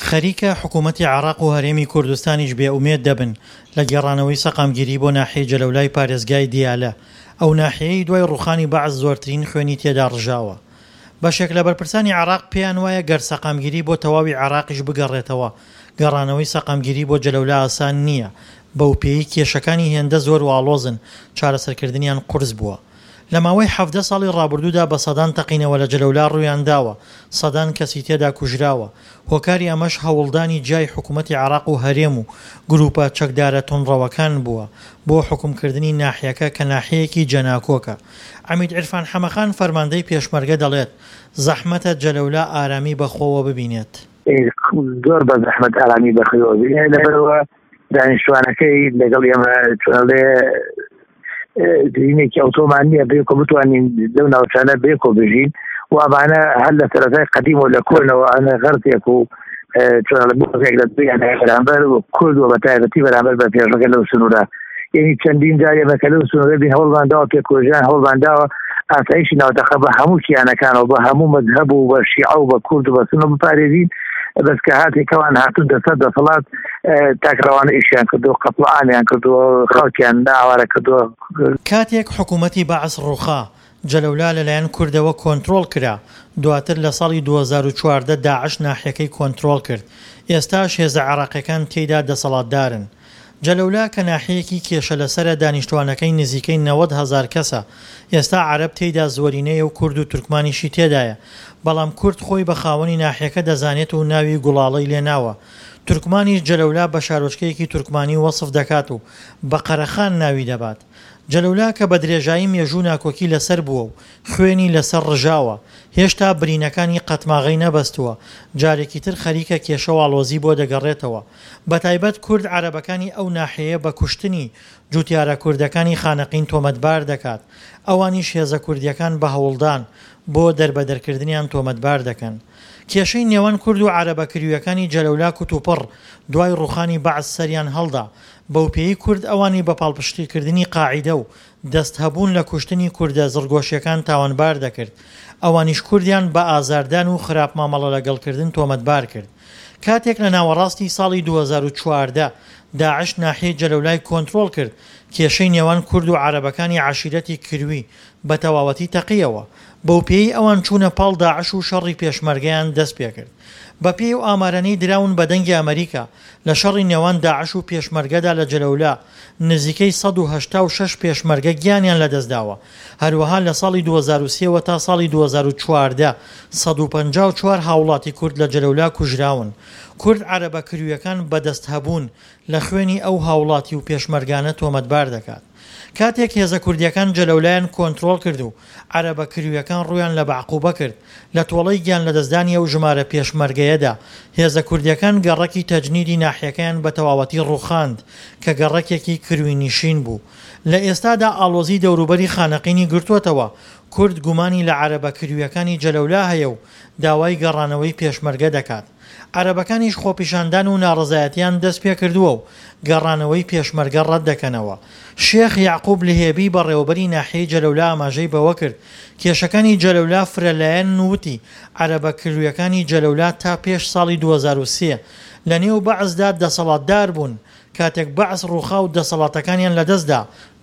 خەریکە حکوومەتی عێراق و هەرێمی کوردستانیش بێ ئومێد دەبن لە گێڕانەوەی سەقامگیری بۆ ناحیەی جەلەولای پارێزگای دیالە، ئەو ناحیەیەی دوای ڕووخانی بەعس زۆرترین خوێنی تێدا ڕژاوە. بەشێک لە بەرپرسانی عێراق پێیان وایە گەر سەقامگیری بۆ تەواوی عێراقیش بگەڕێتەوە، گەڕانەوەی سەقامگیری بۆ جەلەولا ئاسان نییە، بەوپێیەی کێشەکانی هێندە زۆر و ئاڵۆزن، چارەسەرکردنیان قورس بووە. لە ماوەی 17 ساڵی ڕابردوودا بە سەدان تەقینەوە لە جەلەولا ڕوویان داوە، سەدان کەسی تێدا کوژراوە، هۆکاری ئەمەش هەوڵدانی جیای حکوومەتی عێراق و هەرێم و گرووپە چەکدارە توندڕەوەکان بووە بۆ حوکمکردنی ناحیەکە کە ناحیەیەکی جەناکۆکە. عەمید عیرفان حەمەخان فەرماندەی پێشمەرگە دەڵێت، زەحمەتە جەلەولا ئارامی بەخۆوە ببینێت. زۆر بە زەحمەت ئارامی بەخۆوە ببینێت، لەبەرئەوە دانیشتوانەکەی لەگەڵ ئێمە چۆنڵێ زمینێکی ئەوتۆمان نییە بێکۆ بتوانین لەو ناوچانە بێکۆ بژین و ئەمانە هەر لە سەرەتای قەدیم و لە کۆنەوە ئەنە غەرتێک و چۆنڵێ بۆزێک لە دویان بەرامبەر کورد و بە تایبەتی بەرامبەر بە پێشمەرگە لەو سنوورە یعنی چەندین جار ئێمە کە لەو سنوورە بین هەوڵمان داوە پێکۆژیان هەوڵمان داوە ئاسایشی ناوتەقە بە هەموو کیانەکانەوە بە هەموو مەذهب و بە شیعە و بە کورد و بە سونە بپارێزین بەس کە هاتێکەوان هاتون دەسەر دەسەڵات تاکڕەوانە ئیشیان کردو قەتڵ عامیان کردووە خەڵکیان ئاوارە کردووە. کاتێک حکوومەتی بەعس ڕووخا، جەلەولا لەلایەن کوردەوە کۆنترۆڵ کرا، دواتر لە ساڵی 2014 داعش ناحیەکەی کۆنترۆڵ کرد، ئێستاش هێزە عێراقیەکان تێیدا دەسەڵاتدارن. جەلەولا کە ناحیەیەکی کێشەلەسەرە دانیشتوانەکەی نزیکەی 90 هەزار کەسە، ئێستا عەرەب تێیدا زۆرینەیە و کورد و تورکمانیشی تێدایە، بەڵام کورد خۆی بە خاوەنی ناحیەکە دەزانێت و ناوی گوڵاڵەی لێ ناوە. تورکمانیش جەلەولا بە شارۆچکەیەکی تورکمانی وەسف دەکات و بە قەرەخان ناوی دەبات. جەلەولا کە بە درێژایی مێژوو ناکۆکی لەسەر بووە و خوێنی لەسەر ڕژاوە، هێشتا برینەکانی قەتماغەی نەبەستووە، جارێکی تر خەریکە کێشە و ئاڵۆزی بۆ دەگەڕێتەوە. بەتایبەت کورد عەرەبەکانی ئەو ناحیەیە بە کوشتنی جوتیارە کوردەکانی خانەقین تۆمەتبار دەکات، ئەوانیش هێزە کوردییەکان بە هەوڵدان بۆ دەربەدەرکردنیان تۆمەتبار دەکەن. کێشەی نێوان کورد و عەرەبە کریویەکانی جەلەولا کوتوپڕ دوای ڕوخانی بەعس سەریان هەڵدا، بەوپێیەی کورد ئەوانی بە پاڵپشتیکردنی قاعیدە و دەست هەبوون لە کوشتنی کوردە زڕگۆشیەکان تاوانبار دەکرد، ئەوانیش کوردیان بە ئازاردان و خراپ مامەڵە لەگەڵکردن تۆمەتبار کرد. کاتێک لە ناوەڕاستی ساڵی 2014 داعش ناحیەی جەلەولای کۆنترۆڵ کرد، کێشەی نێوان کورد و عەرەبەکانی عەشیرەتی کروی بە تەواوەتی تەقییەوە، بەوپێیەی ئەوان چوونە پاڵ داعش و شەڕی پێشمەرگەیان دەستپێکرد. بەپێی ئەو ئامارانەی دراون بە دەنگی ئەمەریکا، لە شەڕی نێوان داعش و پێشمەرگەدا لە جەلەولا، نزیکەی 186 پێشمەرگە گیانیان لەدەستداوە، هەروەها لە ساڵی 2003 وە تا ساڵی 2014، 154 هاوڵاتی کورد لە جەلەولا کوژراون. کورد عەرەبە کرویەکان بە دەستهەبوون لە خوێنی ئەو هاوڵاتی و پێشمەرگانە تۆمەتبار دەکات. کاتێک هێزە کوردییەکان جەلەولایان کۆنترۆڵ کرد و عەرەبە کرویەکان ڕوویان لە بەعقوبە کرد، لە تۆڵەی گیانلەدەستدانی ئەو ژمارە پێشمەرگەیەدا، هێزە کوردییەکان گەڕەکی تەجنیدی ناحیەکەیان بە تەواوەتی ڕووخاند کە گەڕەکێکی کروینشین بوو. لە ئێستادا ئاڵۆزی دەوروبەری خانەقینی گرتووەتەوە، کورد گومانی لە عەرەبە کرویەکانی جەلەولا هەیە و داوای گەڕانەوەی پێشمەرگە دەکات. عەرەبەکانیش خۆپیشاندان و ناڕەزایەتیان دەستپێکردووە و گەڕانەوەی پێشمەرگە ڕەتدەکەنەوە. شێخ یەعقوب لهێبی بەڕێوەبەری ناحیەی جەلەولا ئاماژەی بەوەکرد، کێشەکانی جەلەولا فرەلایەنن و وتی، عەرەبە کرویەکانی جەلەولا تا پێش ساڵی 2003 لەنێو بەعسدا دەسەڵاتدار بوون، کاتێک بەعس ڕووخا و دەسەڵاتەکانیان لەدەستدا،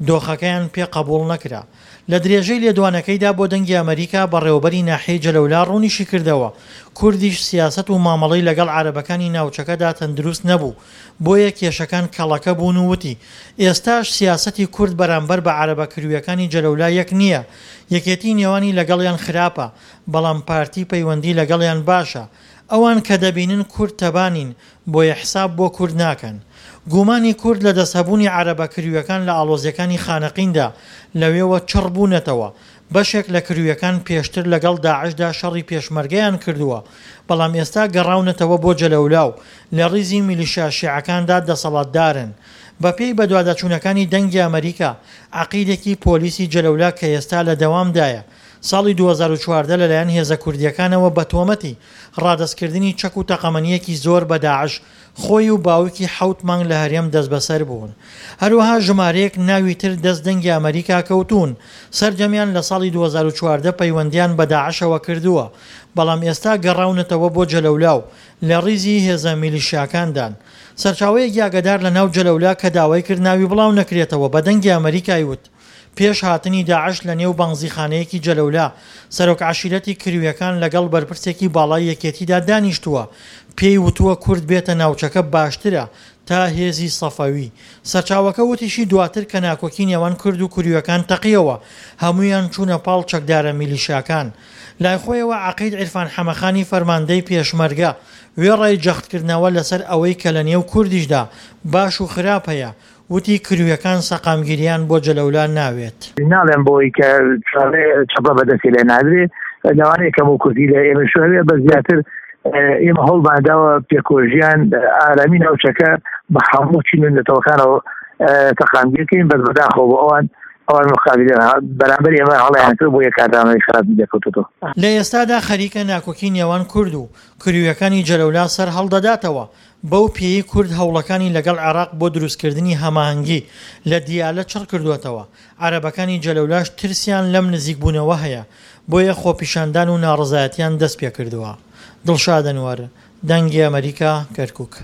دۆخەکەیان پێ قبوڵ نەکرا. لە درێژەی لێدوانەکەیدا بۆ دەنگی ئەمەریکا، بەڕێوەبەری ناحیەی جەلەولا ڕوونیشیکردەوە، کوردیش سیاسەت و مامەڵەی لەگەڵ عەرەبەکانی ناوچەکەدا تەندروست نەبوو، بۆیە کێشەکان کەڵەکە بوون و وتی، ئێستاش سیاسەتی کورد بەرامبەر بە عەرەبە کرویەکانی جەلەولا یەک نییە، یەکێتی نێوانی لەگەڵیان خراپە، بەڵام پارتی پەیوەندی لەگەڵیان باشە، ئەوان کە دەبینن کورد تەبا نین، بۆیە حساب بۆ کورد ناکەن. گومانی کورد لە دەستهەبوونی عەرەبە کرویەکان لە ئاڵۆزیەکانی خانەقیندا لەوێوە چڕ بوونەتەوە. بەشێک لە کرویەکان پێشتر لەگەڵ داعشدا شەڕی پێشمەرگەیان کردووە، بەڵام ئێستا گەڕاونەتەوە بۆ جەلەولا و لە ڕیزی میلیشیا شیعەکاندا دەسەڵاتدارن. بەپێی بەدواداچوونەکانی دەنگی ئەمەریکا، عەقیدێکی پۆلیسی جەلەولا کە ئێستا لە دەوامدایە، ساڵی 2014 لەلایەن هێزە کوردییەکانەوە بە تۆمەتی ڕادەستکردنی چەک و تەقەمەنییەکی زۆر بە داعش خۆی و باوکی حەوت مانگ لە هەرێم دەستبەسەر بوون. هەروەها ژمارەیەک ناوی تر دەست دەنگی ئەمەریکا کەوتوون، سەرجەمیان لە ساڵی 2014 پەیوەندیان بە داعشەوە کردووە، بەڵام ئێستا گەڕاونەتەوە بۆ جەلەولا و لە ڕیزی هێزە میلیشیاکاندان. سەرچاوەیەکی ئاگادار لە ناو جەلەولا کە داوای کرد ناوی بڵاو نەکرێتەوە بە دەنگی ئەمەریکای وت، پێش هاتنی داعش لە نێو بەنزیخانەیەکی جەلەولا، سەرۆک عەشیرەتی کرویەکان لەگەڵ بەرپرسێکی باڵای یەکێتیدا دانیشتووە، پێی وتووە کورد بێتە ناوچەکە باشترە تا هێزی سەفەوی. سەرچاوەکە وتیشی دواتر کە ناکۆکی نێوان کورد و کرویەکان تەقیەوە، هەموویان چوونە پاڵ چەکدارە میلیشاکان. لایخۆیەوە عەقید عیرفان حەمەخانی فەرماندەی پێشمەرگە، وێڕای جەختکردنەوە لەسەر ئەوەی کە لە نێو کوردیشدا باش و خراپ هەیە، وتی کرویەکان سەقامگیریان بۆ جەلەولا ناوێت. ناڵێم بۆی کە چەپڵە بەدەستی لێ نادرێ، لەوانەیە کەم و کورتی لە ئێمەش هەبێ، بەس زیاتر ئێمە هەوڵمان داوە پێکۆژیان ئارامی ناوچەکە بە هەموو چین و نەتەوەکانەوە سەقامگیر کەین، بەس بەداخەوە بۆ ئەوان ئەوان مقابلە بەرامبەر ئێمە هەڵیان کرد بۆ یە کاردانەوەی خراپی دەکەوتەوە. لە ئێستادا خەریکە ناکۆکی نێوان کورد و کرویەکانی جەلەولا سەر هەڵدەداتەوە، بەو پێیەی کورد هەوڵەکانی لەگەڵ عێراق بۆ دروستکردنی هەماهەنگی لە دیالە چڕ کردووەتەوە، عەرەبەکانی جەلەولاش ترسیان لەم نزیکبوونەوە هەیە، بۆیە خۆپیشاندان و ناڕەزایەتیان دەستپێکردووە. دڵشاد ئەنوەر، دەنگی ئەمەریکا، کەرکوک.